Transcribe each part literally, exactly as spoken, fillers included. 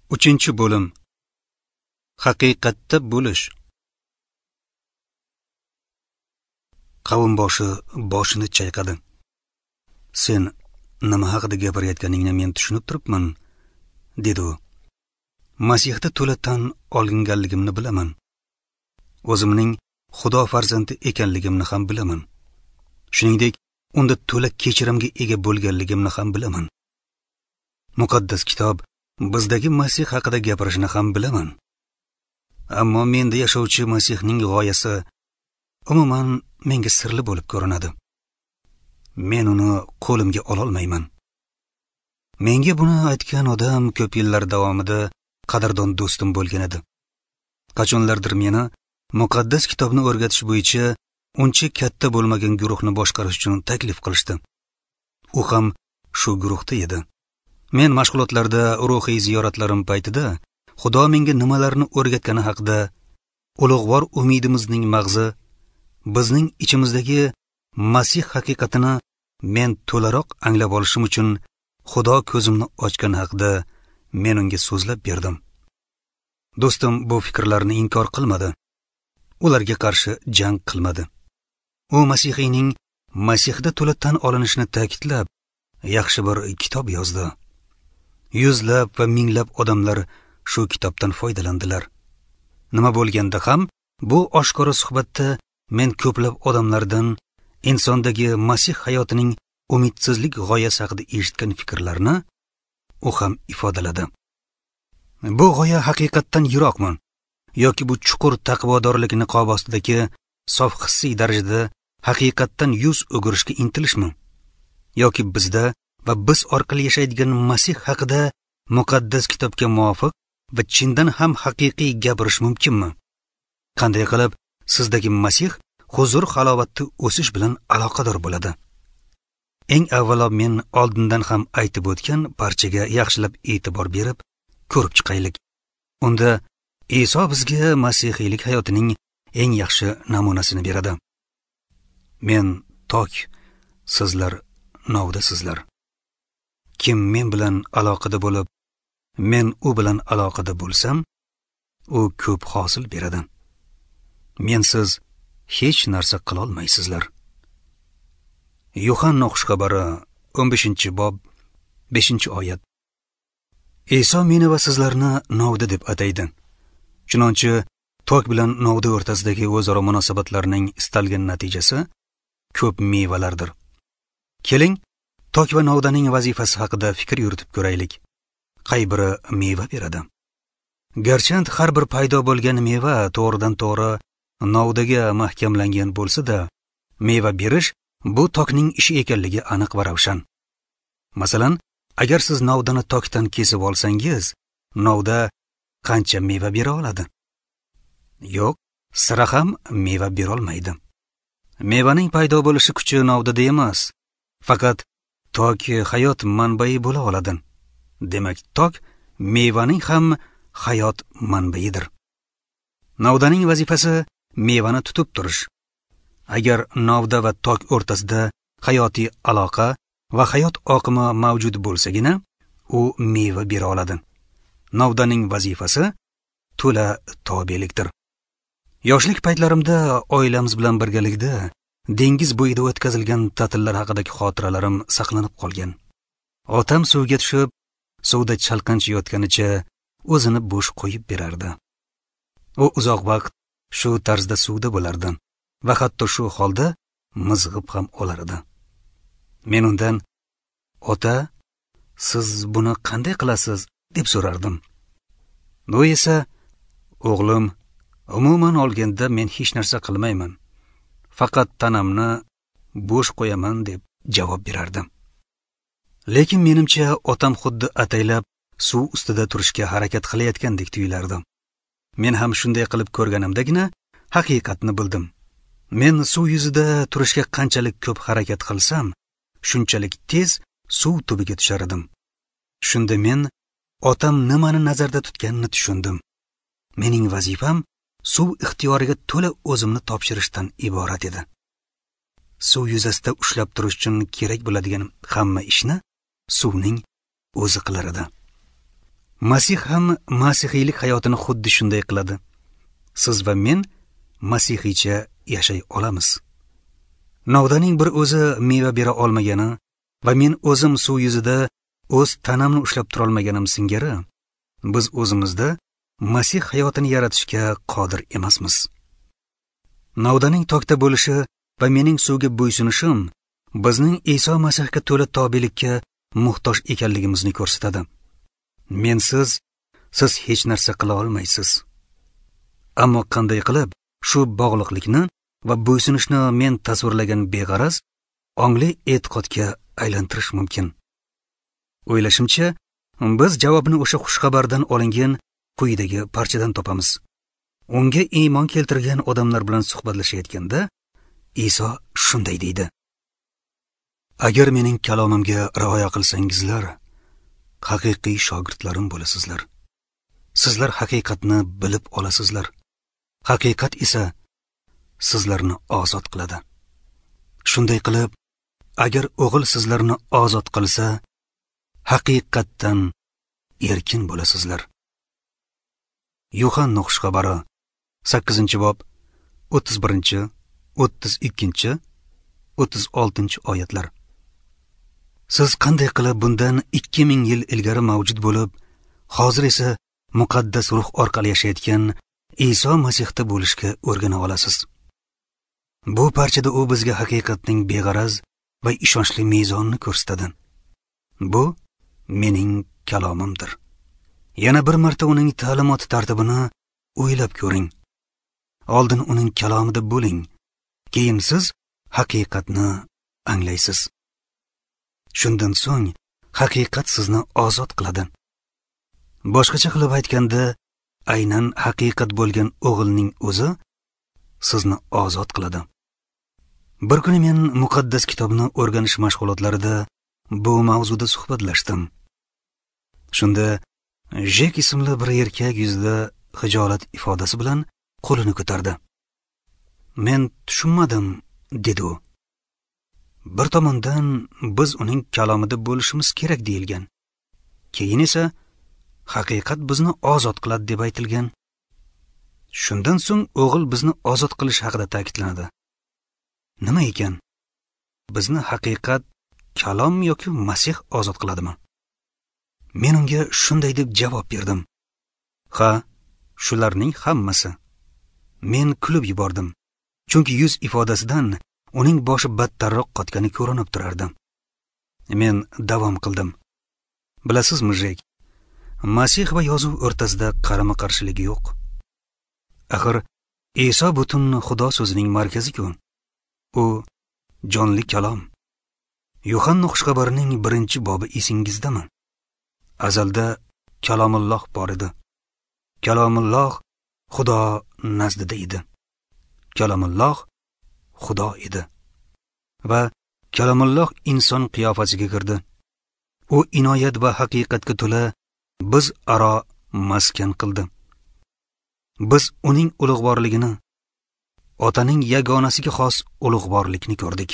Uchinchi bo'lim. Haqiqatda bo'lish. Qavm boshi boshini chayqadi. Sen nima haqida gapirayotganingni men tushunib turibman, dedi u. Masihda to'la tan olinganligimni bilaman. O'zimning Xudo farzandi ekanligimni ham bilaman. Shuningdek, unda to'la kechirimga ega bo'lganligimni ham bilaman. Muqaddas kitob bizdagi Masih haqida gapirishini ham bilaman. Ammo menda yashovchi Masihning g'oyasi umuman menga sirli bo'lib ko'rinadi. Men uni qo'limga ololmayman. Menga buni aytgan odam ko'p yillar davomida qadrdon do'stim bo'lgan edi. Qachonlardir meni muqaddas kitobni o'rgatish bo'yicha uncha katta bo'lmagan guruhni boshqarish uchun taklif qilishdi. U ham shu guruhda edi. Men mashg'ulotlarda ruhiy ziyoratlarim paytida Xudo menga nimalarni o'rgatgani haqida ulug'vor umidimizning mag'zi, bizning ichimizdagi Masih haqiqatini men to'laroq anglab olishim uchun Xudo ko'zimni ochgani haqida men unga so'zlab berdim. Do'stim bu fikrlarni inkor qilmadi. Ularga qarshi jang qilmadi. U Masihiyning Masihda to'la tan olinishini ta'kidlab, yaxshi bir kitob yozdi. Yuzlab va minglab odamlar shu kitobdan foydalandilar. Nima bo'lganda ham bu oshkora suhbatda men ko'plab odamlardan insondagi Masih hayotining umidsizlik g'oyasi haqida eshitgan fikrlarni u ham ifodaladi. Bu g'oya haqiqatdan yiroqmi yoki bu chuqur taqvodorlik niqobi ostidagi sof hissiy darajada haqiqatdan yuz o'girishga intilishmi? Yoki bizda va biz orqali yashaydigan Masih haqida muqaddas kitobga muvofiq va chindan ham haqiqiy gapirish mumkinmi? Qanday qilib sizdagi Masih huzur halovatda o'sish bilan aloqador bo'ladi? Eng avvalo men oldindan ham aytib o'tgan parchaga yaxshilab e'tibor berib ko'rib chiqaylik. Unda Iso bizga masihiylik hayotining eng yaxshi namunasini beradi. Men tok, sizlar novdasizlar. Kim men bilan aloqada bo'lib, men u bilan aloqada bo'lsam, u ko'p hosil beradi. Mensiz hech narsa qila olmaysizlar. Yuhanna xushxabari o'n beshinchi bob beshinchi oyat. Iso meni va sizlarni novda deb ataydi. Chunonchi tok bilan novda o'rtasidagi o'zaro munosabatlarning istalgan natijasi ko'p mevalardir. Keling, tok va novdaning vazifasi haqida fikr yuritib ko'raylik. Qay biri meva beradi? Garchand har bir paydo bo'lgan meva to'g'ridan to'g'ri novdaga mahkamlangan bo'lsa-da, meva berish bu tokning ishi ekanligi aniq va ravshan. Masalan, agar siz novdani tokdan kesib olsangiz, novda qancha meva bera oladi? Yo'q, sira ham meva bera olmaydi. Mevaning paydo bo'lishi kuchi novdada emas, faqat tok hayot manbai bo'la oladi. Demak, tok mevaning ham hayot manbaidir. Novdaning vazifasi mevani tutib turish. Agar novda va tok o'rtasida hayotiy aloqa va hayot oqimi mavjud bo'lsagina, u meva bera oladi. Novdaning vazifasi to'la tobelikdir. Yoshlik paytlarimda oilamiz bilan birgalikda dengiz bo'yida o'tkazilgan ta'tillar haqidagi xotiralarim saqlanib qolgan. Otam suvga tushib, suvda chalqancha yotganicha o'zini bo'sh qo'yib berardi. U uzoq vaqt shu tarzda suvda bo'lardi va hatto shu holda mizg'ib ham olar edi. Men undan, "Ota, siz buni qanday qilasiz?" deb so'rardim. U esa, "O'g'lim, umuman olganda men hech narsa qilmayman. Faqat tanamni bo'sh qo'yaman" deb javob berardi. Lekin menimcha otam xuddi ataylab suv ustida turishga harakat qilayotgandek tuyulardi. Men ham shunday qilib ko'rganimdagina haqiqatni bildim. Men suv yuzida turishga qanchalik ko'p harakat qilsam, shunchalik tez suv tubiga tushar edim. Shunda men otam nimani nazarda tutganini tushundim. Mening vazifam suv ixtiyoriga to'la o'zimni topshirishdan iborat edi. Suv yuzasida ushlab turish uchun kerak bo'ladigan hamma ishni suvning o'zi qilar edi. Masih ham masihiylik hayotini xuddi shunday qiladi. Siz va men masihiycha yashay olamiz. Novdaning bir o'zi meva bera olmagani va men o'zim suv yuzida o'z tanamni ushlab turolmaganim singari, biz o'zimizda Masih hayotini yaratishga qodir emasmiz. Novdaning tokda bo'lishi va mening suvga bo'ysunishim bizning Iso Masihga to'la tobelikka muhtoj ekanligimizni ko'rsatadi. Mensiz siz hech narsa qila olmaysiz. Ammo qanday qilib shu bog'liqlikni va bo'ysunishni men tasvirlagan beg'araz ongli e'tiqodga aylantirish mumkin? O'ylashimcha, biz javobni o'sha xushxabardan olingan quyidagi parchadan topamiz. Unga iymon keltirgan odamlar bilan suhbatlashayotganda Iso shunday deydi: Agar mening kalomimga rioya qilsangizlar, haqiqiy shogirdlarim bo'lasizlar. Sizlar haqiqatni bilib olasizlar. Haqiqat esa sizlarni ozod qiladi. Shunday qilib, agar o'g'il sizlarni ozod qilsa, haqiqatdan erkin bo'lasizlar. Yuhanna xushxabari sakkizinchi bob o'ttiz birinchi, o'ttiz ikkinchi, o'ttiz oltinchi oyatlar. Siz qanday qilib bundan ikki ming yil ilgari mavjud bo'lib, hozir esa muqaddas ruh orqali yashayotgan Iso Masihda bo'lishga o'rgana olasiz? Bu parchada u bizga haqiqatning beg'araz va ishonchli mezonini ko'rsatadi. Bu mening kalomimdir. Yana bir marta uning ta'limoti tartibini o'ylab ko'ring. Oldin uning kalomida bo'ling, keyin siz haqiqatni anglaysiz. Shundan so'ng haqiqat sizni ozod qiladi. Boshqacha qilib aytganda, aynan haqiqat bo'lgan o'g'ilning o'zi sizni ozod qiladi. Bir kuni men muqaddas kitobni o'rganish mashg'ulotlarida bu mavzuda suhbatlashdim. Shunda Jek ismli bir erkak yuzida xijolat ifodasi bilan qo'lini ko'tardi. Men tushunmadim, dedi u. Bir tomondan biz uning kalomida bo'lishimiz kerak deyilgan. Keyin esa haqiqat bizni ozod qiladi deb aytilgan. Shundan so'ng o'g'il bizni ozod qilish haqida ta'kidlanadi. Nima ekan? Bizni haqiqat, kalom yoki Masih ozod qiladimi? Men unga shunday deb javob berdim. Ha, shularning hammasi. Men kulib yubordim, chunki yuz ifodasidan uning boshi battarroq qotgani ko'rinib turardi. Men davom qildim. Bilasizmi, Jek, Masih va yozuv o'rtasida qarama-qarshilik yo'q. Axir Iso butun Xudo so'zining markazi-ku. U jonli kalom. Yuhanna xushxabarining birinchi bobi esingizdami? Azalda Kalomulloh bor edi. Kalomulloh Xudo nazdida edi. Kalomulloh Xudo edi. Va Kalomulloh inson qiyofasiga kirdi. U inoyat va haqiqatga to'la biz aro maskan qildi. Biz uning ulug'vorligini, otaning yagonasiga xos ulug'vorlikni ko'rdik.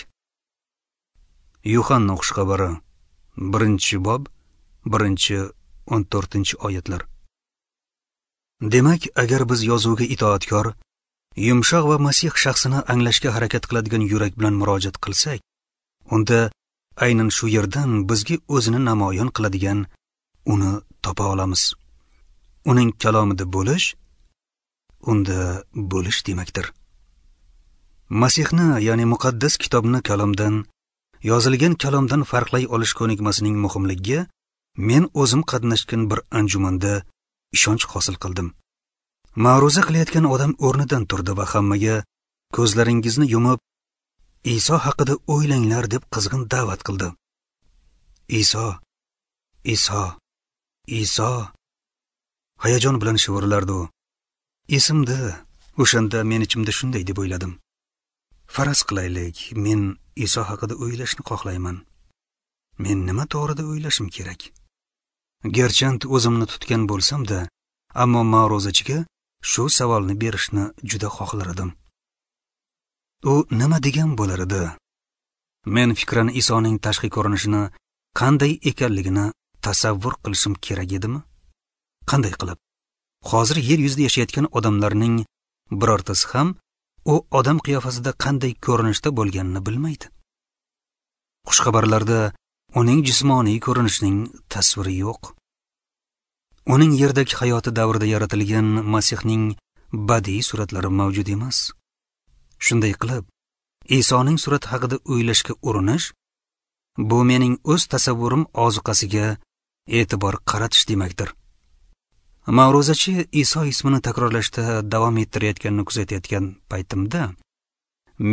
Yuhanna xushxabari birinchi bob birinchi o'n to'rtinchi oyatlar. Demak, agar biz yozuvga itoatkor, yumshoq va Masih shaxsini anglashga harakat qiladigan yurak bilan murojaat qilsak, unda aynan shu yerdan bizga o'zini namoyon qiladigan uni topa olamiz. Uning kalomida bo'lish, unda bo'lish demakdir. Masihni, ya'ni muqaddas kitobni kalomdan, yozilgan kalomdan farqlay olish ko'nikmasining muhimligiga men o'zim qatnashgan bir anjumanda ishonch hosil qildim. Ma'ruza qilayotgan odam o'rnidan turdi va hammaga ko'zlaringizni yumib, Iso haqida o'ylanglar deb qizg'in da'vat qildi. Iso, Iso, Iso, hayajon bilan shivirlardi u. Esimda, o'shanda men ichimda shunday deb o'yladim. Faraz qilaylik, men Iso haqida o'ylashni xohlayman. Men nima to'g'rida o'ylashim kerak? Garchand o'zimni tutgan bo'lsam-da, ammo ma'ruzachiga shu savolni berishni juda xohlar edim. U nima degan bo'lar edi? Men fikran Isoning tashqi ko'rinishini qanday ekanligini tasavvur qilishim kerak edimi? Qanday qilib? Hozir yer yuzida yashayotgan odamlarning birortasi ham u odam qiyofasida qanday ko'rinishda bo'lganini bilmaydi. Xushxabarlarda uning jismoniy ko'rinishining tasviri yo'q. Uning yerdagi hayoti davrida yaratilgan Masihning badiiy suratlari mavjud emas. Shunday qilib, Isoning surati haqida o'ylashga urinish bu mening o'z tasavvurim ozuqasiga e'tibor qaratish demakdir. Ma'ruzachi Iso ismini takrorlashda davom ettirayotganini kuzatayotgan paytimda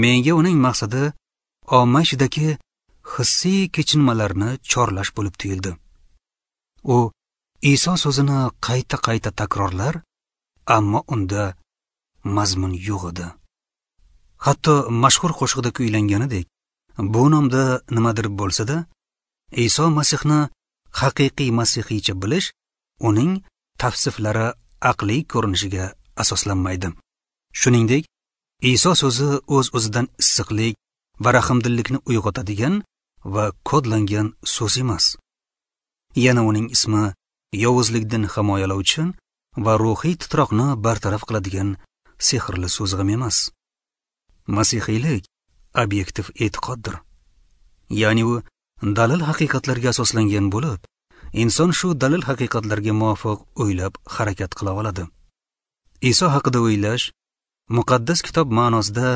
menga uning maqsadi omma ichidagi hissiy kechinmalarni chorlash bo'lib tuyuldi. U Iso so'zini qayta-qayta takrorlar, ammo unda mazmun yo'q edi. Hatto mashhur qo'shiqda kuylanganidek, bu nomda nimadir bo'lsa-da, Iso Masihni haqiqiy masihiycha bilish uning tavsiflari aqliy ko'rinishiga asoslanmaydi. Shuningdek, Iso so'zi o'z-o'zidan issiqlik va rahmdillikni uyg'otadigan va kodlangan so'z emas. Yana uning ismi yovuzlikdan himoyalovchi va ruhiy titroqni bartaraf qiladigan sehrli so'z ham emas. Masihiylik obyektiv e'tiqoddir. Ya'ni u dalil haqiqatlarga asoslangan bo'lib, inson shu dalil haqiqatlarga muvofiq o'ylab harakat qila oladi. Iso haqida o'ylash muqaddas kitob ma'nosida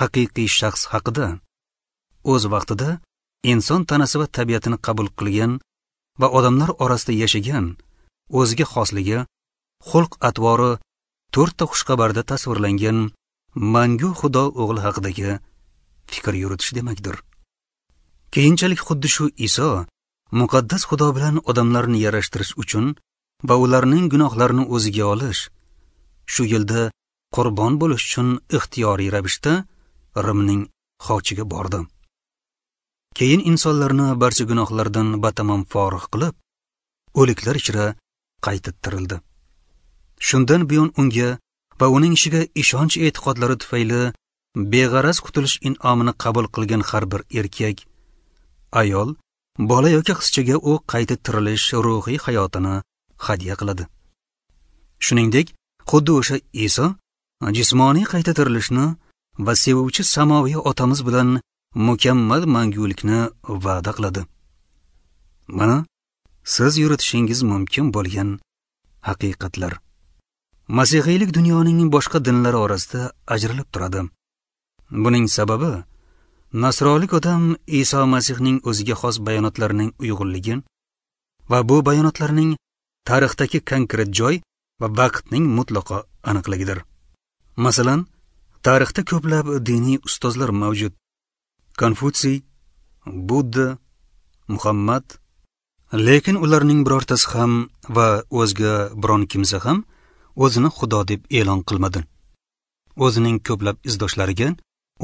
haqiqiy shaxs haqida, o'z vaqtida inson tanasi va tabiatini qabul qilgan va odamlar orasida yashagan, o'ziga xosligi, xulq atvori to'rtta xushxabarda tasvirlangan mangu Xudo o'g'li haqidagi fikr yuritish demakdir. Keyinchalik xuddi shu Iso muqaddas Xudo bilan odamlarni yarashtirish uchun va ularning gunohlarini o'ziga olish, shu yo'lda qurbon bo'lish uchun ixtiyoriy ravishda Rimning xochiga bordi. Keyin insonlarni barcha gunohlardan batamom forig' qilib, o'liklar ichra qayta tirildi. Shundan buyon unga va uning ishiga ishonch e'tiqodlari tufayli beg'araz qutulish in'omini qabul qilgan har bir erkak, ayol, bola yoki qizchaga u qayta tirilish ruhiy hayotini hadya qiladi. Shuningdek, xuddi o'sha Iso jismoniy qayta tirilishni va sevuvchi samoviy otamiz bilan mukammal mangulikni va'da qiladi. Mana siz yuritishingiz mumkin bo'lgan haqiqatlar. Masihiylik dunyoning boshqa dinlari orasida ajralib turadi. Buning sababi nasrolik odam Iso Masihning o'ziga xos bayonotlarining uyg'unligi va bu bayonotlarning tarixdagi konkret joy va vaqtning mutlaqo aniqligidir. Masalan, tarixda ko'plab diniy ustozlar mavjud. Konfutsiy, Budda, Muhammad, lekin ularning birortasi ham va o'zga biron kimsa ham o'zini Xudo deb e'lon qilmadi. O'zining ko'plab izdoshlariga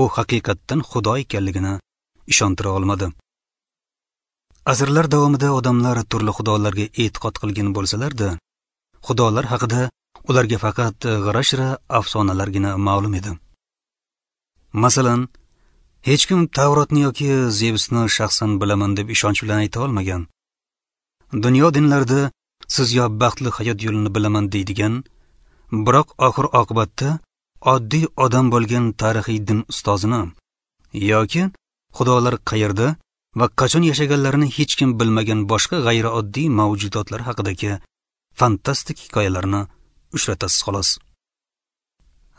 u haqiqatdan Xudo ekanligini ishontira olmadi. Asrlar davomida odamlar turli xudolarga e'tiqod qilgan bo'lsalar-da, xudolar haqida ularga faqat g'ira-shira afsonalargina ma'lum edi. Masalan, hech kim Tavrotni yoki Zevsni shaxsan bilaman deb ishonch bilan ayta olmagan. Dunyo dinlarida siz yo baxtli hayot yo'lini bilaman deydigan, biroq oxir oqibatda oddiy odam bo'lgan tarixiy din ustozini yoki xudolar qayerda va qachon yashaganlarini hech kim bilmagan boshqa g'ayrioddiy mavjudotlar haqidagi fantastik hikoyalarni uchratasiz xolos.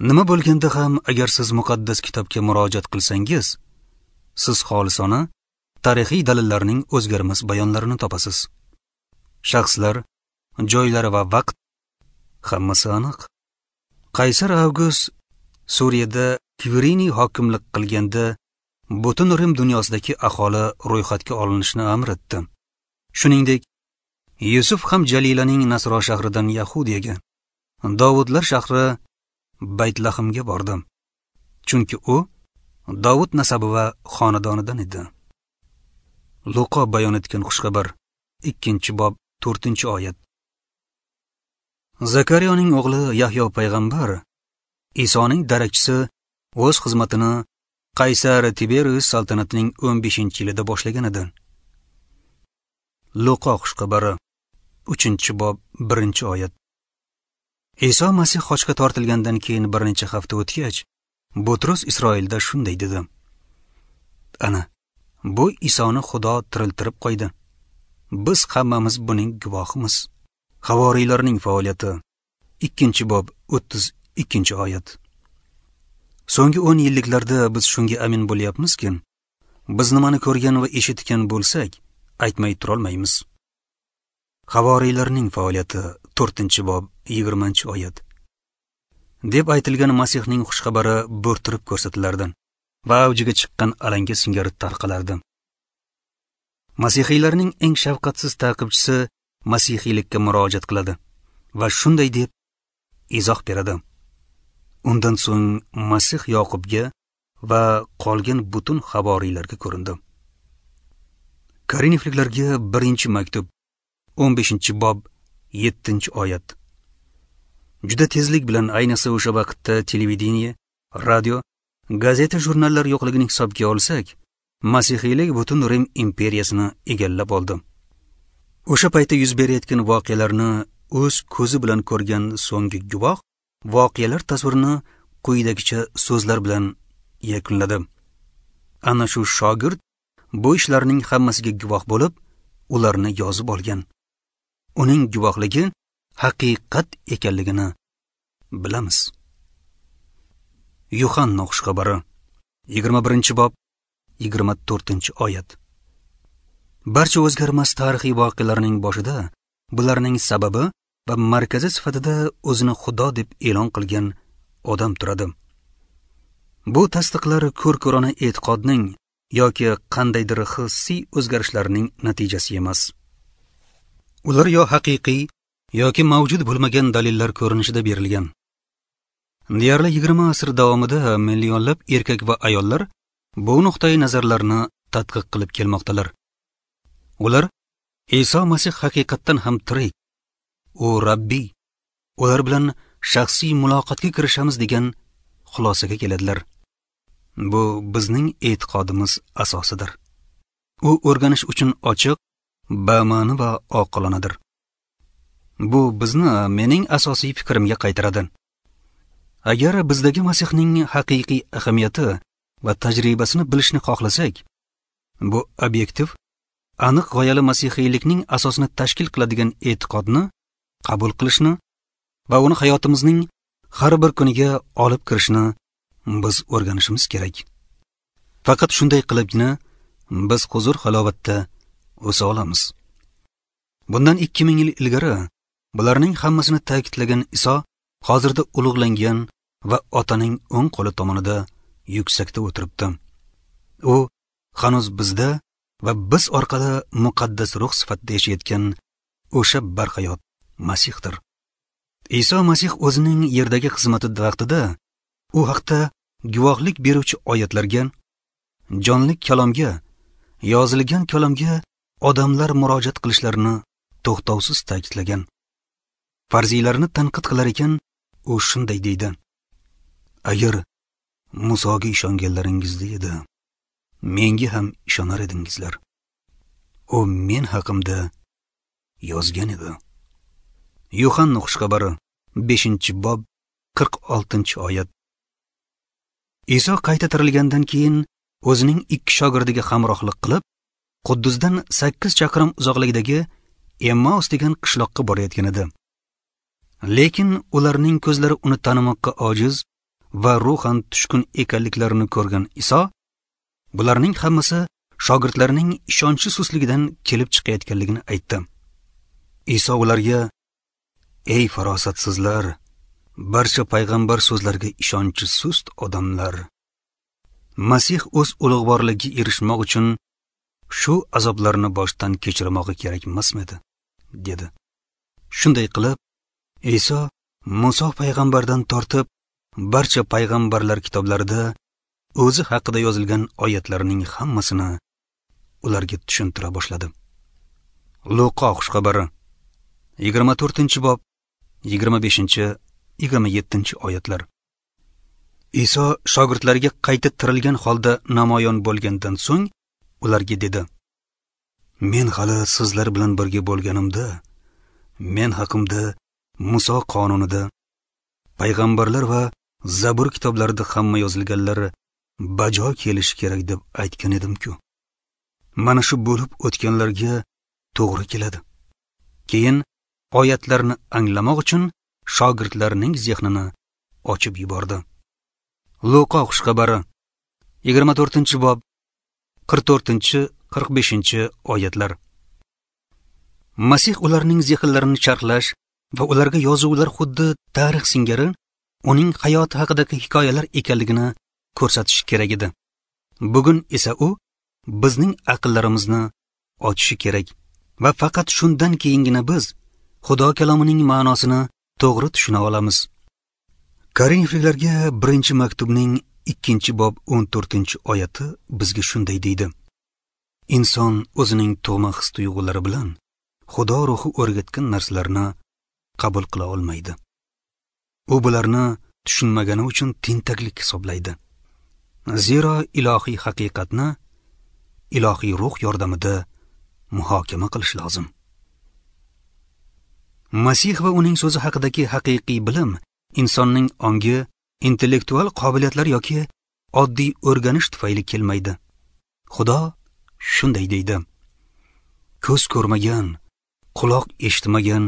Nima bo'lganda ham agar siz muqaddas kitobga murojaat qilsangiz, siz xolisona tarixiy dalillarning o'zgarmas bayonlarini topasiz. Shaxslar, joylar va vaqt hammasi aniq. Qaysar Avgust Suriyada Kvirini hokimlik qilganda butun Rim dunyosidagi aholi ro'yxatga olinishini amr etdi. Shuningdek, Yusuf ham Jalilaning Nasro shahridan Yahudiyaga, Davudlar shahri Baytlahimga bordi. Chunki u Davud nasabi va xonadonidan edi. Luqo bayon etgan xushxabar, ikkinchi bob, to'rtinchi oyat. Zakariyoning o'g'li Yahyo payg'ambar Isoning darakchisi o'z xizmatini Qaysar Tiberius saltanatining o'n beshinchi yilida boshlagan edi. Luqo xushxabari, uchinchi bob, birinchi oyat. Iso Masih xochga tortilgandan keyin bir necha hafta o'tgach, Butrus Isroilda shunday dedi: Ana, bu Isoni Xudo tiriltirib qo'ydi. Biz hammamiz buning guvohimiz. Havoriylarning faoliyati, ikkinchi bob, o'ttiz ikkinchi oyat. So'nggi o'n yilliklarda biz shunga amin bo'lyapmizki, biz nimani ko'rgan va eshitgan bo'lsak, aytmay turolmaymiz. Havoriylarning faoliyati, to'rtinchi bob, yigirmanchi oyat. Deb aytilgan Masihning xushxabari bo'rttirib ko'rsatilardi va avjiga chiqqan alanga singari tarqalardi. Masihiylarning eng shafqatsiz ta'qibchisi masihiylikka murojaat qiladi va shunday deb izoh beradi: Undan so'ng Masih Yoqubga va qolgan butun havoriylarga ko'rindi. Korinfliklarga birinchi maktub, o'n beshinchi bob, yettinchi oyat. Juda tezlik bilan, ayniqsa o'sha vaqtda televideniye, radio, gazeta, jurnallar yo'qligini hisobga olsak, masihiylik butun Rim imperiyasini egallab oldi. O'sha paytda yuz berayotgan voqealarni o'z ko'zi bilan ko'rgan so'nggi guvoh voqealar tasvirini quyidagicha so'zlar bilan yakunladi: Ana shu shogird bu ishlarning hammasiga guvoh bo'lib, ularni yozib olgan. Uning guvohligi haqiqat ekanligini bilamiz. Yuhanna xushxabari, yigirma birinchi bob, yigirma to'rtinchi oyat. Barcha o'zgarmas tarixiy voqealarning boshida bularning sababi va markazi sifatida o'zini Xudo deb e'lon qilgan odam turadi. Bu tasdiqlar ko'r-ko'rona e'tiqodning yoki qandaydir hissiy o'zgarishlarning natijasi emas. Ular yo haqiqiy yoki mavjud bo'lmagan dalillar ko'rinishida berilgan. Deyarli yigirma asr davomida millionlab erkak va ayollar bu nuqtai nazarlarni tadqiq qilib kelmoqdalar. Ular Iso Masih haqiqatdan ham tirik, u Rabbiy, ular bilan shaxsiy muloqotga kirishamiz degan xulosaga keladilar. Bu bizning e'tiqodimiz asosidir. U o'rganish uchun ochiq, bama'ni va oqilonadir. Bu bizni mening asosiy fikrimga qaytaradi. Agar bizdagi Masihning haqiqiy ahamiyati va tajribasini bilishni xohlasak, bu obyektiv, aniq g'oyali masihiylikning asosini tashkil qiladigan e'tiqodni qabul qilishni va uni hayotimizning har bir kuniga olib kirishni biz o'rganishimiz kerak. Faqat shunday qilibgina biz huzur halovatda o'sa olamiz. Bundan ikki ming yil ilgari bularning hammasini ta'kidlagan Iso hozirda ulug'langan va Otaning o'ng qo'li tomonida yuksakda o'tiribdi. U hanuz bizda va biz orqali muqaddas ruh sifatida yashayotgan o'sha barhayot Masihdir. Iso Masih o'zining yerdagi xizmati vaqtida u haqda guvohlik beruvchi oyatlarga, jonli kalomga, yozilgan kalomga odamlar murojaat qilishlarini to'xtovsiz ta'kidlagan. Farziylarni tanqid qilar ekan, u shunday deydi: Agar Musoga ishonganlaringizda edi, menga ham ishonar edingizlar. U men haqimda yozgan edi. Yuhanna xushxabari, beshinchi bob, qirq oltinchi oyat. Iso qayta tirilgandan keyin o'zining ikki shogirdiga hamrohlik qilib, Quddusdan sakkiz chaqirim uzoqlikdagi Emmaus degan qishloqqa borayotgan edi. Lekin ularning ko'zlari uni tanimoqqa ojiz va ruhan tushkun ekanliklarini ko'rgan Iso bularning hammasi shogirdlarning ishonchi susligidan kelib chiqayotganligini aytdi. Iso ularga: "Ey farosatsizlar, barcha payg'ambar so'zlariga ishonchi sust odamlar! Masih o'z ulug'vorligiga erishmoq uchun shu azoblarni boshdan kechirmog'i kerak emasmidi?" dedi. Shunday qilib, Iso Muso payg'ambardan tortib barcha payg'ambarlar kitoblarida o'zi haqida yozilgan oyatlarning hammasini ularga tushuntira boshladi. Luqo xushxabari, yigirma to'rtinchi bob, yigirma beshinchi, yigirma yettinchi oyatlar. Iso shogirdlariga qayta tirilgan holda namoyon bo'lgandan so'ng ularga dedi: Men hali sizlar bilan birga bo'lganimda, men haqimda Muso qonunida, Payg'ambarlar va Zabur kitoblarida hamma yozilganlari bajo kelishi kerak deb aytgan edim-ku. Mana shu bo'lib o'tganlarga to'g'ri keladi. Keyin oyatlarni anglamoq uchun shogirdlarning zehnini ochib yubordi. Luqa xushxabari yigirma to'rtinchi bob qirq to'rtinchi qirq beshinchi oyatlar. Masih ularning zehnlarini charxlash va ularga yozuvlar xuddi tarix singari uning hayoti haqidagi hikoyalar ekanligini ko'rsatish kerak edi. Bugun esa u bizning aqllarimizni ochishi kerak va faqat shundan keyingina biz Xudo kalomining ma'nosini to'g'ri tushuna olamiz. Korinfliklarga birinchi maktubning ikkinchi bob o'n to'rtinchi oyati bizga shunday deydi: Inson o'zining tug'ma his tuyg'ulari bilan Xudo ruhi o'rgatgan narsalarni qabul qila olmaydi. U bularni tushunmagani uchun tentaklik hisoblaydi. Zero ilohiy haqiqatni ilohiy ruh yordamida muhokama qilish lozim. Masih va uning so'zi haqidagi haqiqiy bilim insonning ongi, intellektual qobiliyatlar yoki oddiy o'rganish tufayli kelmaydi. Xudo shunday deydi: Ko'z ko'rmagan, quloq eshitmagan,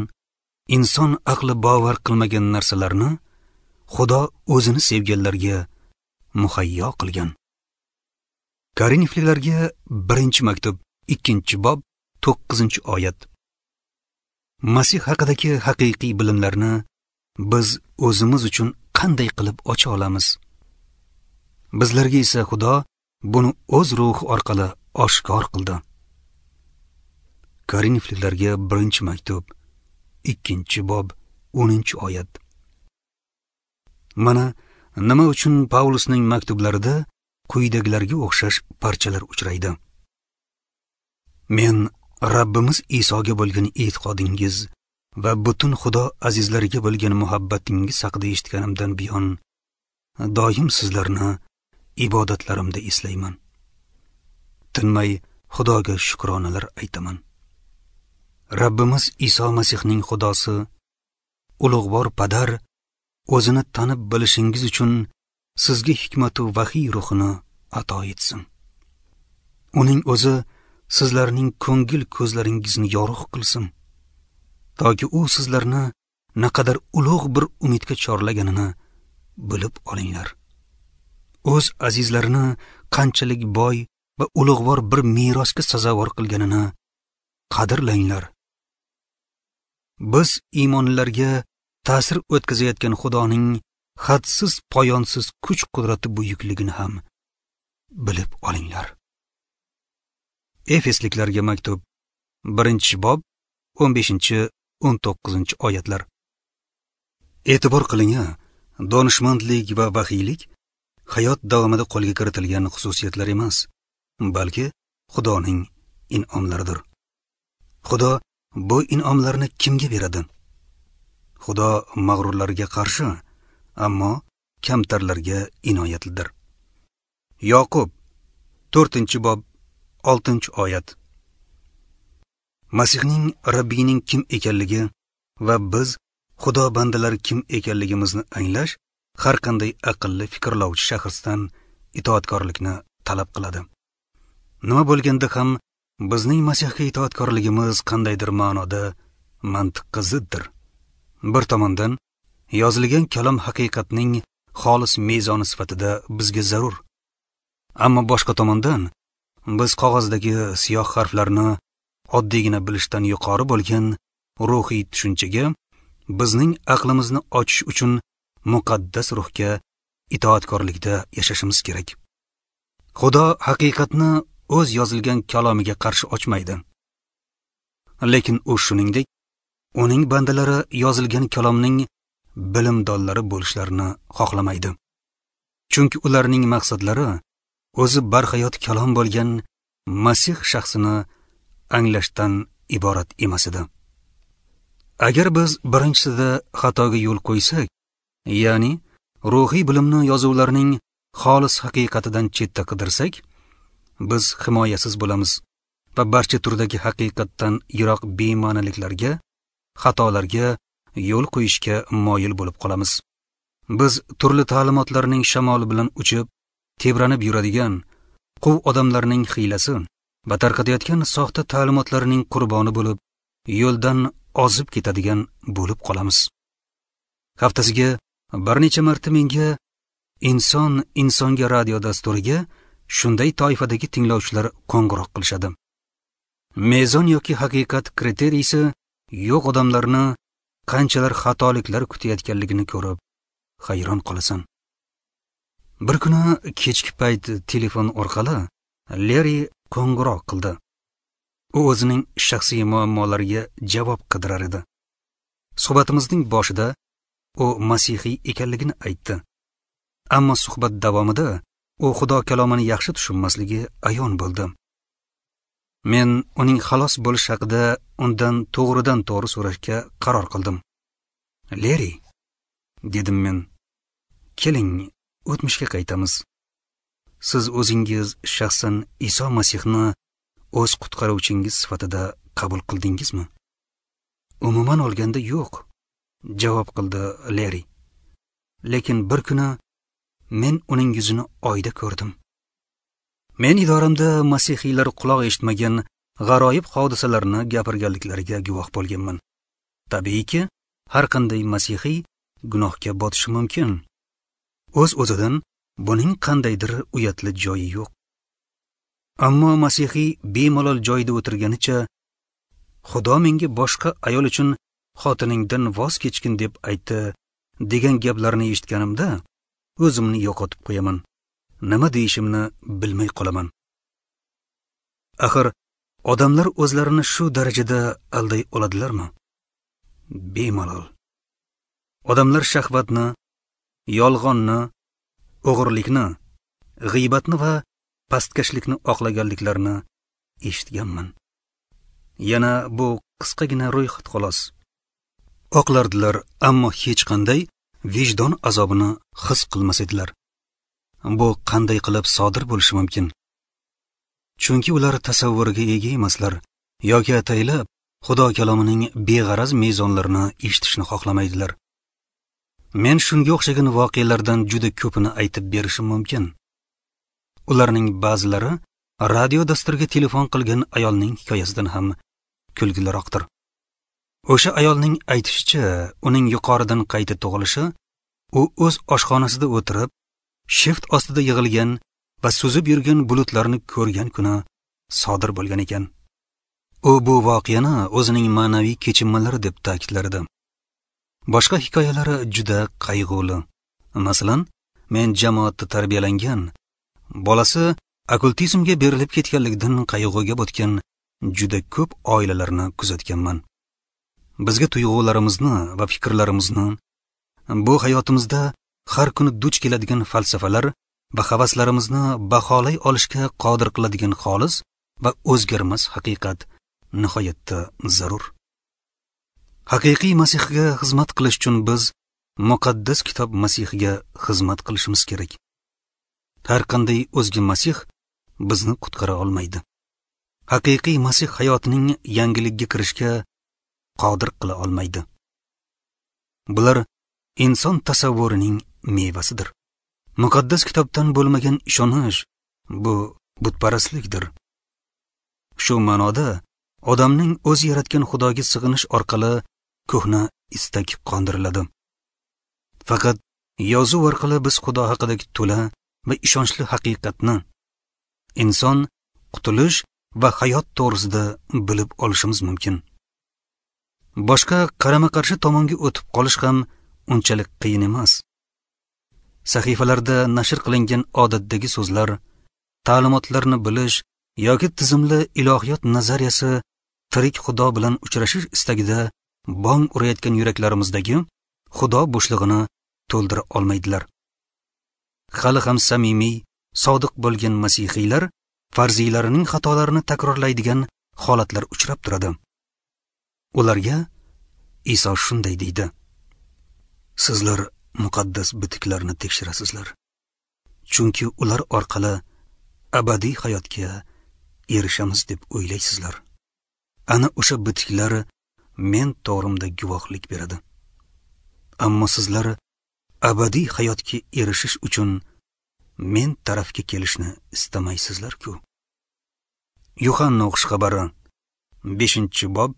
inson aqli bovar qilmagan narsalarni Xudo o'zini sevganlarga muhayyo qilgan. Korinfliklarga birinchi maktub ikkinchi bob to'qqizinchi oyat. Masih haqidagi haqiqiy bilimlarni biz o'zimiz uchun qanday qilib ocha olamiz? Bizlarga esa Xudo buni o'z ruhi orqali oshkor qildi. Korinfliklarga birinchi maktub ikkinchi bob o'ninchi oyat. Mana nima uchun Pavlusning maktublarida quyidagilarga o'xshash parchalar uchraydi. Men Rabbimiz Isoga bo'lgan e'tiqodingiz va butun Xudo azizlariga bo'lgan muhabbatingiz haqida eshitganimdan buyon doim sizlarni ibodatlarimda eslayman. Tinmay Xudoga shukronalar aytaman. Rabbimiz Iso Masihning Xudosi, ulug'vor Padar o'zini tanib bilishingiz uchun sizga hikmat va vahiy ruhini ato etsin. Uning o'zi sizlarning ko'ngil ko'zlaringizni yorug' qilsin, toki u sizlarni naqadar ulug' bir umidga chorlaganini bilib olinglar. O'z azizlarini qanchalik boy va ulug'vor bir merosga sazovor qilganini qadrlanglar. Biz iymonlilarga ta'sir o'tkazayotgan Xudoning hadsiz poyonsiz kuch-qudrati buyukligini ham bilib olinglar. Efesliklarga maktub birinchi bob o'n beshinchi o'n to'qqizinchi oyatlar. E'tibor qiling-a, donishmandlik va vahiylik hayot davomida qo'lga kiritilgan xususiyatlar emas, balki Xudoning in'omlaridir. Xudo bu in'omlarni kimga beradi? Xudo mag'rurlarga qarshi, ammo kamtarlarga inoyatlidir. Yoqub to'rtinchi bob oltinchi oyat. Masihning Rabbiyning kim ekanligi va biz Xudo bandalari kim ekanligimizni anglash har qanday aqlli fikrlovchi shaxsdan itoatkorlikni talab qiladi. Nima bo'lganda ham bizning Masihga itoatkorligimiz qandaydir ma'noda mantiqqa ziddir. Bir tomondan yozilgan kalom haqiqatning xolis mezoni sifatida bizga zarur. Ammo boshqa tomondan biz qog'ozdagi siyoh harflarni oddiygina bilishdan yuqori bo'lgan ruhiy tushunchaga bizning aqlimizni ochish uchun muqaddas ruhga itoatkorlikda yashashimiz kerak. Xudo haqiqatni o'z yozilgan kalomiga qarshi ochmaydi. Lekin u shuningdek uning bandalari yozilgan kalomning bilimdonlari bo'lishlarini xohlamaydi. Chunki ularning maqsadlari o'zi barhayot kalom bo'lgan Masih shaxsini anglashdan iborat emas edi. Agar biz birinchisida xatoga yo'l qo'ysak, ya'ni ruhiy bilimni yozuvlarning xolis haqiqatidan chetda qidirsak, biz himoyasiz bo'lamiz va barcha turdagi haqiqatdan yiroq bema'niliklarga, xatolarga yo'l qo'yishga moyil bo'lib qolamiz. Biz turli ta'limotlarning shamoli bilan uchib, tebranib yuradigan quv odamlarning hiylasi va tarqatayotgan soxta ta'limotlarining qurboni bo'lib, yo'ldan ozib ketadigan bo'lib qolamiz. Haftasiga bir necha marta menga Inson insonga radio dasturiga shunday toifadagi tinglovchilar qo'ng'iroq qilishadi. Mezon yoki haqiqat kriteriysi yo'q odamlarni qanchalar xatoliklar kutayotganligini ko'rib hayron qolasan. Bir kuni kechki payt telefon orqali Leri qo'ng'iroq qildi. U o'zining shaxsiy muammolariga javob qidirar edi. Suhbatimizning boshida u masihiy ekanligini aytdi. Ammo suhbat davomida u Xudo kalomini yaxshi tushunmasligi ayon bo'ldi. Men uning xalos bo'lish haqida undan to'g'ridan to'g'ri so'rashga qaror qildim. Leri, dedim men, keling, o'tmishga qaytamiz. Siz o'zingiz shaxsan Iso Masihni o'z qutqaruvchingiz sifatida qabul qildingizmi? Umuman olganda yo'q, javob qildi Leri. Lekin bir kuni men uning yuzini oyda ko'rdim. Men idoramda masihiylar quloq eshitmagan g'aroyib hodisalarni gapirganliklariga guvoh bo'lganman. Tabiiyki, har qanday masihiy gunohga botishi mumkin. O'z-o'zidan buning qandaydir uyatli joyi yo'q. Ammo masihiy bemalol joyida o'tirganicha, Xudo menga boshqa ayol uchun xotiningdan voz kechgin deb aytdi degan gaplarni eshitganimda o'zimni yo'qotib qo'yaman. Nima deyishimni bilmay qolaman. Axir odamlar o'zlarini shu darajada alday oladilarmi? Bemalol. Odamlar shahvatni, yolg'onni, o'g'irlikni, g'iybatni va pastkashlikni oqlaganliklarini eshitganman. Yana bu qisqagina ro'yxat xolos. Oqlardilar, ammo hech qanday vijdon azobini his qilmas edilar. Bu qanday qilib sodir bo'lishi mumkin? Chunki ular tasavvurga ega emaslar yoki ataylab Xudo kalomining beg'araz mezonlarini eshitishni xohlamaydilar. Men shunga o'xshagan voqealardan juda ko'pini aytib berishim mumkin. Ularning ba'zilari radio dasturiga telefon qilgan ayolning hikoyasidan ham kulgiliroqdir. O'sha ayolning aytishicha, uning yuqoridan qayta tug'ilishi, u o'z oshxonasida o'tirib, shift ostida yig'ilgan va suzib yurgan bulutlarni ko'rgan kuni sodir bo'lgan ekan. U bu voqeani o'zining ma'naviy kechinmalari deb ta'kidlardi. Boshqa hikoyalari juda qayg'uli. Masalan, men jamoatda tarbiyalangan, bolasi okkultizmga berilib ketganligidan qayg'uga botgan juda ko'p oilalarni kuzatganman. Bizga tuyg'ularimizni va fikrlarimizni bu hayotimizda har kuni duch keladigan falsafalar va havaslarimizni baholay olishga qodir qiladigan xolis va o'zgarmas haqiqat nihoyatda zarur. Haqiqiy Masihga xizmat qilish uchun biz muqaddas kitob Masihga xizmat qilishimiz kerak. Har qanday o'zga Masih bizni qutqara olmaydi. Haqiqiy Masih hayotining yangilikka kirishga qodir qila olmaydi. Bular inson tasavvurining mevasidir. Muqaddas kitobdan bo'lmagan ishonish bu butparastlikdir. Shu ma'noda odamning o'zi yaratgan Xudoga sig'inish orqali ko'hna istak qondiriladi. Faqat yozuv orqali biz Xudo haqidagi to'la va ishonchli haqiqatni, inson qutulish va hayot to'g'risida bilib olishimiz mumkin. Boshqa qarama-qarshi tomonga o'tib qolish ham unchalik qiyin emas. Sahifalarda nashr qilingan odatdagi so'zlar, ta'limotlarni bilish yoki tizimli ilohiyot nazariyasi tirik Xudo bilan uchrashish istagida bong urayotgan yuraklarimizdagi Xudo bo'shlig'ini to'ldira olmaydilar. Hali ham samimiy, sodiq bo'lgan masihiylar farziylarining xatolarini takrorlaydigan holatlar uchrab turadi. Ularga Iso shunday deydi: Sizlar muqaddas bitiklarni tekshirasizlar, chunki ular orqali abadiy hayotga erishamiz deb o'ylaysizlar. Ana o'sha bitiklar men to'g'rimda guvohlik beradi. Ammo sizlar Abadiy hayotga erishish uchun men tarafga kelishni istamaysizlar-ku. Yuhanna xushxabari beshinchi bob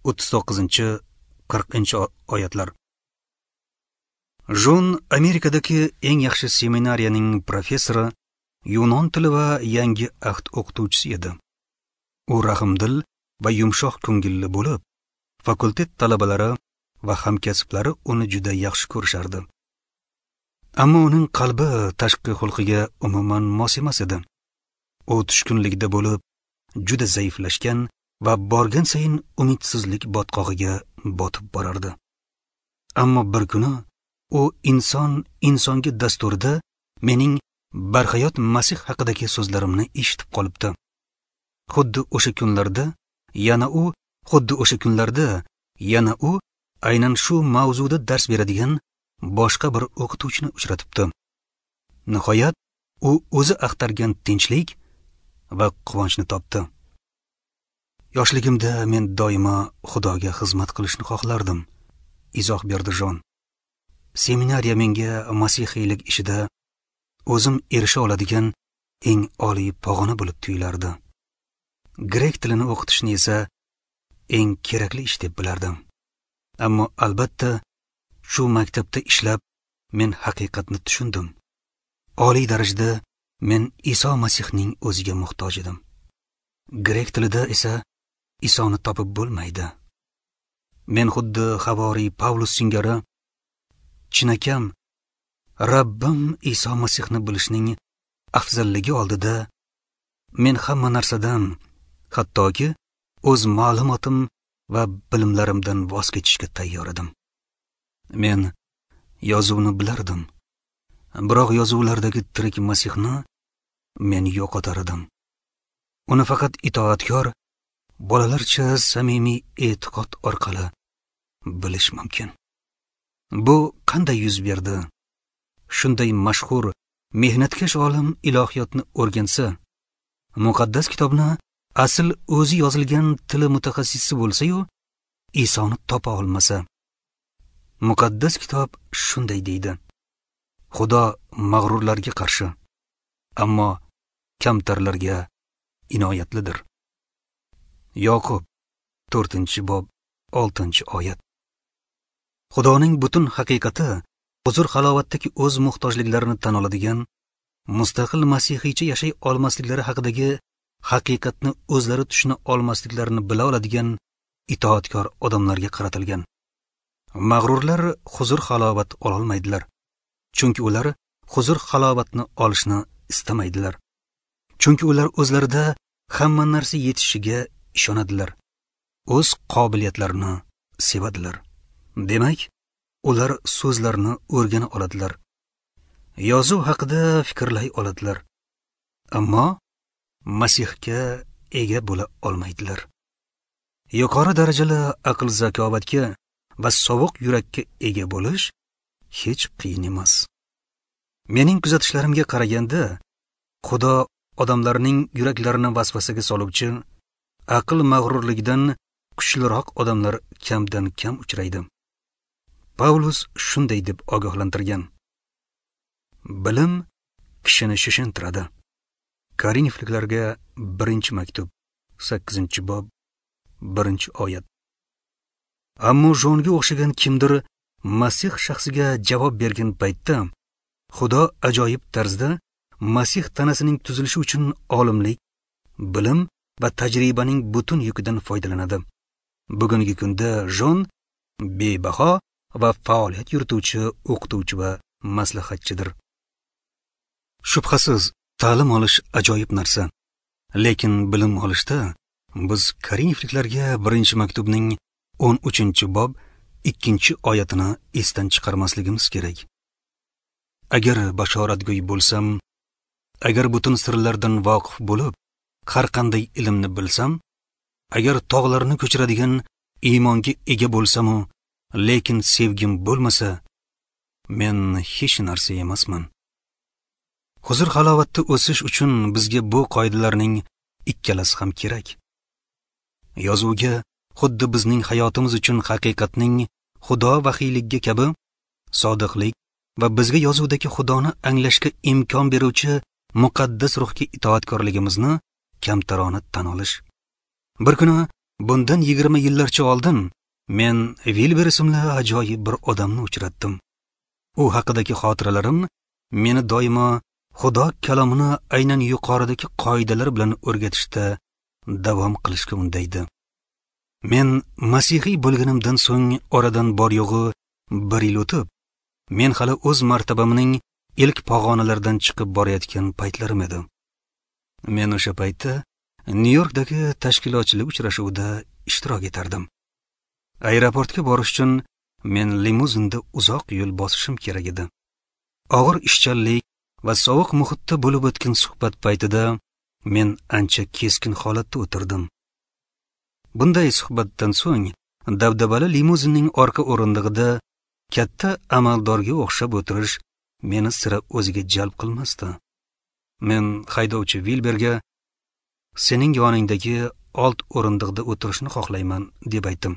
o'ttiz to'qqizinchi qirqinchi oyatlar. Jon Amerikadagi eng yaxshi seminariyaning professori, yunon tili va yangi ahd o'qituvchisi edi. U rahmdil va yumshoq ko'ngilli bo'lib, fakultet talabalari va hamkasblari uni juda yaxshi ko'rishardi. Ammo uning qalbi tashqi xulqiga umuman mos emas edi. U tushkunlikda bo'lib, juda zaiflashgan va borgan sayin umidsizlik botqog'iga botib borardi. Ammo bir kuni u inson insonga dasturida mening barhayot Masih haqidagi so'zlarimni eshitib qolibdi. Xuddi o'sha kunlarda yana u xuddi o'sha kunlarda yana u aynan shu mavzuda dars beradigan boshqa bir o'qituvchini uchratibdi. Nihoyat u o'zi axtargan tinchlik va quvonchni topdi. Yoshligimda men doimo Xudoga xizmat qilishni xohlardim, izoh berdi Jon. Seminariya menga masihiylik ishida o'zim erisha oladigan eng oliy pog'ona bo'lib tuyulardi. Grek tilini o'qitishni esa eng kerakli ish deb bilardim. Ammo albatta shu maktabda ishlab men haqiqatni tushundim. Oliy darajada men Iso Masihning o'ziga muhtoj edim. Grek tilida esa Isoni topib bo'lmaydi. Men xuddi havoriy Pavlus singari chinakam Rabbim Iso Masihni bilishning afzalligi oldida men hamma narsadan, hattoki o'z ma'lumotim va bilimlarimdan voz kechishga tayyor edim. Men yozuvni bilardim, biroq yozuvlardagi tirik Masihni men yo'qotar edim. Uni faqat itoatkor bolalarcha samimiy e'tiqod orqali bilish mumkin. Bu qanday yuz berdi? Shunday mashhur, mehnatkash olim ilohiyotni o'rgansa, muqaddas kitobni asl o'zi yozilgan tili mutaxassisi bo'lsa-yu, Isoni topa olmasa. Muqaddas kitob shunday deydi: Xudo mag'rurlarga qarshi, ammo kamtarlarga inoyatlidir. Yoqub to'rtinchi bob oltinchi oyat. Xudoning butun haqiqati huzur halovatdagi o'z muhtojliklarini tan oladigan, mustaqil masihiycha yashay olmasliklari haqidagi haqiqatni o'zlari tushuna olmasliklarini bila oladigan itoatkor odamlarga qaratilgan. Mag'rurlar huzur halovat ololmaydilar, chunki ular huzur halovatni olishni istamaydilar. Chunki ular o'zlarida hamma narsa yetishiga ishonadilar, o'z qobiliyatlarini sevadilar. Demak, ular so'zlarni o'rgana oladilar, yozuv haqida fikrlay oladilar, ammo Masihga ega bo'la olmaydilar. Yuqori darajali aql zakovatga va sovuq yurakka ega bo'lish hech qiyin emas. Mening kuzatishlarimga qaraganda, Xudo odamlarning yuraklarini vasvasaga soluvchi aql mag'rurligidan kuchliroq odamlar kamdan kam uchraydi. Pavlus shunday deb ogohlantirgan: bilim kishini shishintiradi. Korinfliklarga birinchi maktub, sakkizinchi bob, birinchi oyat. Ammo Jonga o'xshagan kimdir Masih shaxsiga javob bergan paytda Xudo ajoyib tarzda Masih tanasining tuzilishi uchun olimlik, bilim va tajribaning butun yukidan foydalanadi. Bugungi kunda Jon bebaho va faoliyat yurituvchi o'qituvchi va maslahatchidir. Shubhasiz, ta'lim olish ajoyib narsa. Lekin bilim olishda biz Korinfliklarga birinchi maktubning o'n uchinchi bob ikkinchi oyatini esdan chiqarmasligimiz kerak. Agar bashoratgo'y bo'lsam, agar butun sirlardan voqif bo'lib, har qanday ilmni bilsam, agar tog'larni ko'chiradigan iymonga ega bo'lsam-u, lekin sevgim bo'lmasa, men hech narsa emasman. Huzur halovatda o'sish uchun bizga bu qoidalarning ikkalasi ham kerak. Yozuvga xuddi bizning hayotimiz uchun haqiqatning Xudo vahiyligiga kabi sodiqlik va bizga yozuvdagi Xudoni anglashga imkon beruvchi muqaddas ruhga itoatkorligimizni kamtarona tan olish. Bir kuni bundan yigirma yillarcha oldin men Vilber ismli ajoyib bir odamni uchratdim. U haqidagi xotiralarim meni doimo Xudo kalomini aynan yuqoridagi qoidalar bilan o'rgatishda davom qilishga undaydi. Men masihiy bo'lganimdan so'ng oradan bor yo'g'i bir yil o'tib, men hali o'z martabamning ilk pog'onalaridan chiqib borayotgan paytlarim edi. Men o'sha paytda Nyu-Yorkdagi tashkilotchilik uchrashuvida ishtirok etardim. Aeroportga borish uchun men limuzinda uzoq yo'l bosishim kerak edi. Og'ir ishchanlik va sovuq muhitda bo'lib o'tgan suhbat paytida men ancha keskin holatda o'tirdim. Bunday suhbatdan so'ng dabdabali limuzinning orqa o'rindig'ida katta amaldorga o'xshab o'tirish meni sira o'ziga jalb qilmasdi. Men haydovchi Vilberga sening yoningdagi old o'rindiqda o'tirishni xohlayman deb aytdim.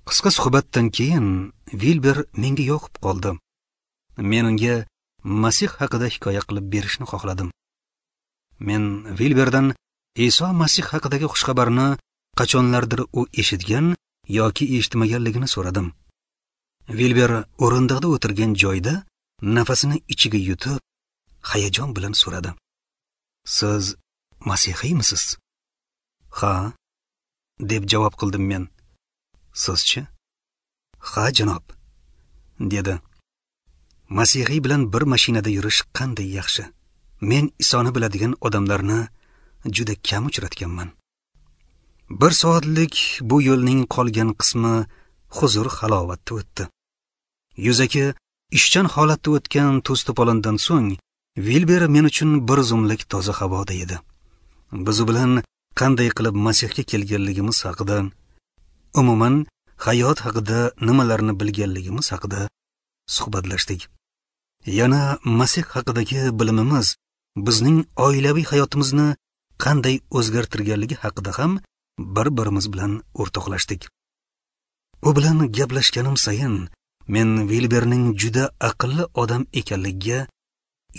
Qisqa suhbatdan keyin Vilber menga yoqib qoldi. Men unga Masih haqida hikoya qilib berishni xohladim. Men Vilberdan Iso Masih haqidagi xushxabarni qachonlardir u eshitgan yoki eshitmaganligini so'radim. Vilber o'rindiqda o'tirgan joyida nafasini ichiga yutib, hayajon bilan so'radi: "Siz masihiymisiz?" "Ha," deb javob qildim men. "Sizchi?" "Ha, janob," dedi. Masihiy bilan bir mashinada yurish qanday yaxshi. Men Isoni biladigan odamlarni juda kam uchratganman. Bir soatlik bu yo'lning qolgan qismi huzur halovatda o'tdi. Yuzaki ishchan holatda o'tgan to's-to'polondan so'ng Vilber men uchun bir zumlik toza havoda edi. Biz u bilan qanday qilib Masihga kelganligimiz haqida, umuman hayot haqida nimalarni bilganligimiz haqida suhbatlashdik. Yana Masih haqidagi bilimimiz bizning oilaviy hayotimizni qanday o'zgartirganligi haqida ham bir-birimiz bilan o'rtoqlashdik. U bilan gaplashganim sayin men Vilberning juda aqlli odam ekanligiga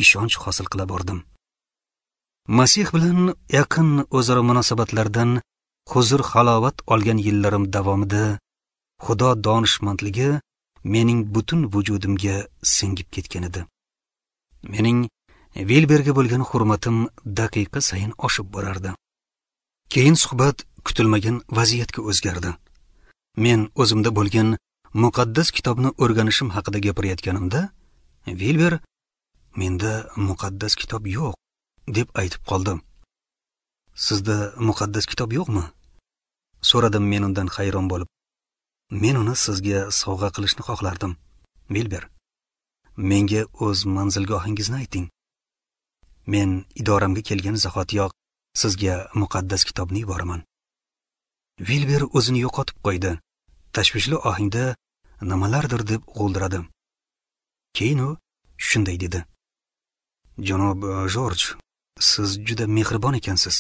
ishonch hosil qila bordim. Masih bilan yaqin o'zaro munosabatlardan huzur halovat olgan yillarim davomida Xudo donishmandligi mening butun vujudimga singib ketgan edi. Mening Vilberga bo'lgan hurmatim daqiqa sayin oshib borardi. Keyin suhbat kutilmagan vaziyatga o'zgardi. Men o'zimda bo'lgan muqaddas kitobni o'rganishim haqida gapirayotganimda Vilber menda muqaddas kitob yo'q deb aytib qoldi. Sizda muqaddas kitob yo'qmi? So'radim men undan hayron bo'lib. Men uni sizga sovg'a qilishni xohlardim. Vilber, menga o'z manzilgohingizni ayting. Men idoramga kelgan zahotiyoq sizga muqaddas kitobni yuboraman. Vilber o'zini yo'qotib qo'ydi. Tashvishli ohangda nimalardir deb g'o'ldiradi. Keyin u shunday dedi: "Janob Jorj, siz juda mehribon ekansiz.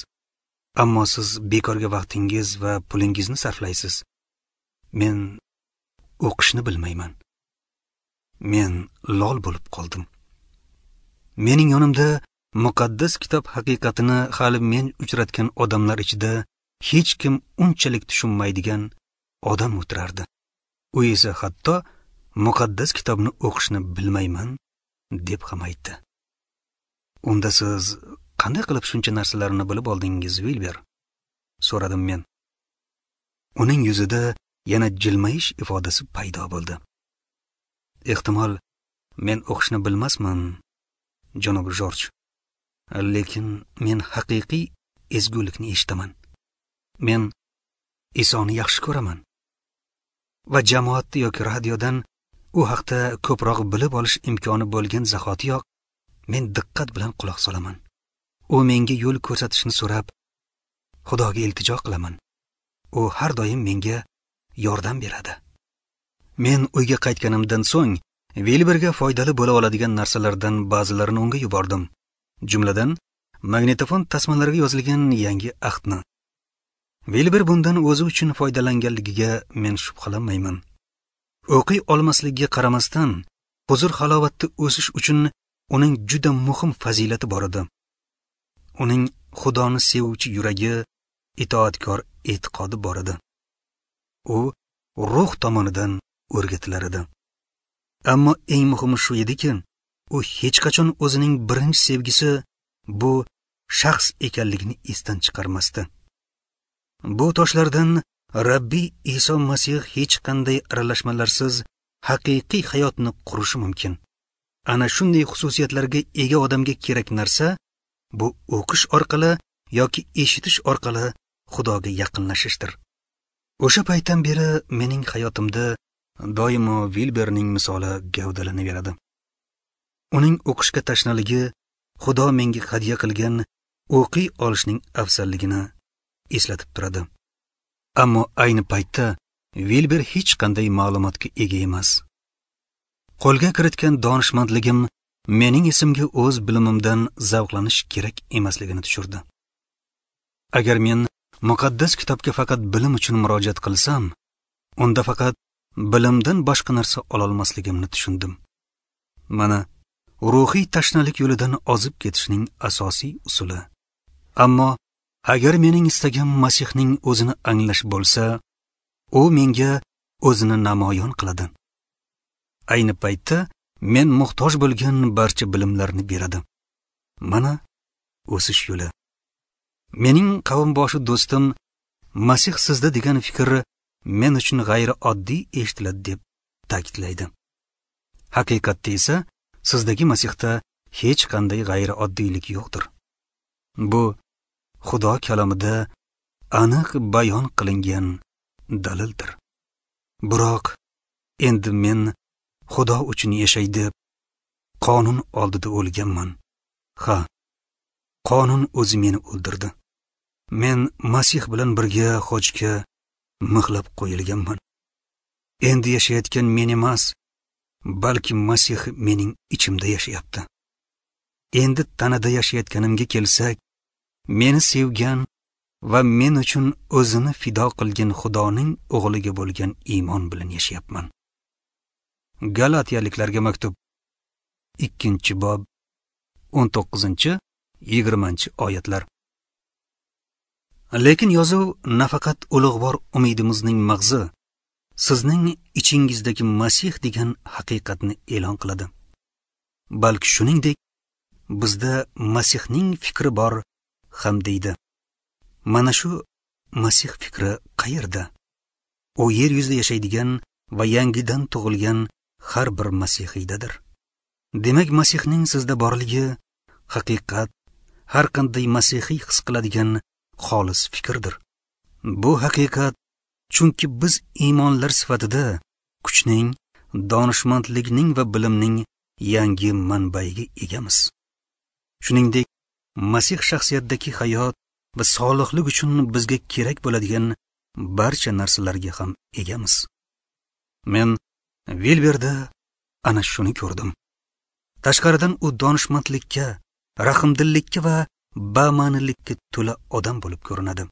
Ammo siz bekorga vaqtingiz va pulingizni sarflaysiz. Men o'qishni bilmayman." Men lol bo'lib qoldim. Mening yonimda muqaddas kitob haqiqatini hali men uchratgan odamlar ichida hech kim unchalik tushunmaydigan odam o'tirardi. U esa hatto muqaddas kitobni o'qishni bilmayman deb ham aytdi. Unda siz qanday qilib shuncha narsalarni bilib oldingiz, Vilber? So'radim men. Uning yuzida yana jilmayish ifodasi paydo bo'ldi. Ehtimol men o'qishni bilmasman, janob Jorj. Lekin men haqiqiy ezgulikni eshitaman. Men Isoni yaxshi ko'raman va jamoatda yoki radiodan u haqda ko'proq bilib olish imkoni bo'lgan zahotiyoq men diqqat bilan quloq solaman. U menga yo'l ko'rsatishni so'rab, Xudoga iltijo qilaman. U har doim menga yordam beradi. Men uyga qaytganimdan so'ng Vilberga foydali bo'la oladigan narsalardan ba'zilarini unga yubordim. Jumladan, magnitofon tasmalariga yozilgan yangi ahdni. Vilber bundan o'zi uchun foydalanganligiga men shubhalanmayman. O'qiy olmasligiga qaramasdan, Huzur halovatda o'sish uchun uning juda muhim fazilati bor edi. Uning Xudoni sevuvchi yuragi, itoatkor e'tiqodi bor edi. U ruh tomonidan o'rgatilar edi. Ammo eng muhimi shu ediki, u hech qachon o'zining birinchi sevgisi bu shaxs ekanligini esdan chiqarmasdi. Bu toshlardan Rabbiy Iso Masih hech qanday aralashmalarsiz haqiqiy hayotni qurishi mumkin. Ana shunday xususiyatlarga ega odamga kerak narsa bu o'qish orqali yoki eshitish orqali Xudoga yaqinlashishdir. O'sha paytdan beri mening hayotimda doimo Vilberning misoli gavdalanaveradi. Uning o'qishga tashnaligi Xudo menga hadya qilgan o'qiy olishning afzalligini eslatib turadi. Ammo ayni paytda Vilber hech qanday ma'lumotga ega emas. Qo'lga kiritgan donishmandligim mening esimga o'z bilimimdan zavqlanish kerak emasligini tushirdi. Agar men muqaddas kitobga faqat bilim uchun murojaat qilsam, unda faqat bilimdan boshqa narsa ololmasligimni tushundim. Mana ruhiy tashnalik yo'lidan ozib ketishning asosiy usuli. Ammo agar mening istagim Masihning o'zini anglash bo'lsa, u menga o'zini namoyon qiladi. Ayni paytda men muhtoj bo'lgan barcha bilimlarni beradi. Mana o'sish yo'li. Mening qavmboshi do'stim Masih sizda degan fikr men uchun g'ayrioddiy eshitiladi deb ta'kidlaydi. Haqiqatda esa sizdagi Masihda hech qanday g'ayrioddiylik yo'qdir. Bu Xudo kalomida aniq bayon qilingan dalildir. Biroq endi men Xudo uchun yashay deb qonun oldida o'lganman. Ha, qonun o'zi meni o'ldirdi. Men Masih bilan birga xochga mixlab qo'yilganman. Endi yashayotgan men emas, balki Masih mening ichimda yashayapti. Endi tanada yashayotganimga kelsak, meni sevgan va men uchun o'zini fido qilgan Xudoning o'g'liga bo'lgan iymon bilan yashayapman. Galatiyaliklarga maktub, ikkinchi bob, o'n to'qqizinchi, yigirmanchi oyatlar. Lekin yozuv nafaqat ulug'vor umidimizning mag'zi, sizning ichingizdagi Masih degan haqiqatni e'lon qiladi. Balki shuningdek bizda Masihning fikri bor ham deydi. Mana shu Masih fikri qayerda? U yer yuzida yashaydigan va yangidan tug'ilgan har bir masihiydadir. Demak, Masihning sizda borligi haqiqat, har qanday masihiy his qiladigan xolis fikrdir. Bu haqiqat, chunki biz iymonlar sifatida kuchning, donishmandlikning va bilimning yangi manbaiga egamiz. Shuningdek, Masih shaxsiyatidagi hayot va solihlik uchun bizga kerak bo'ladigan barcha narsalarga ham egamiz. Men Vilberda ana shuni ko'rdim. Tashqaridan u donishmandlikka, rahmdillikka va bama'nilikka to'la odam bo'lib ko'rinadi.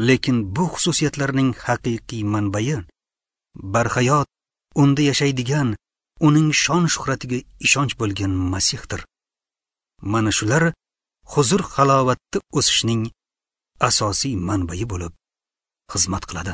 Lekin bu xususiyatlarning haqiqiy manbai barhayot, unda yashaydigan, uning shon-shuhratiga ishonch bo'lgan Masihdir. Mana shular huzur halovatda o'sishning asosiy manbai bo'lib xizmat qiladi.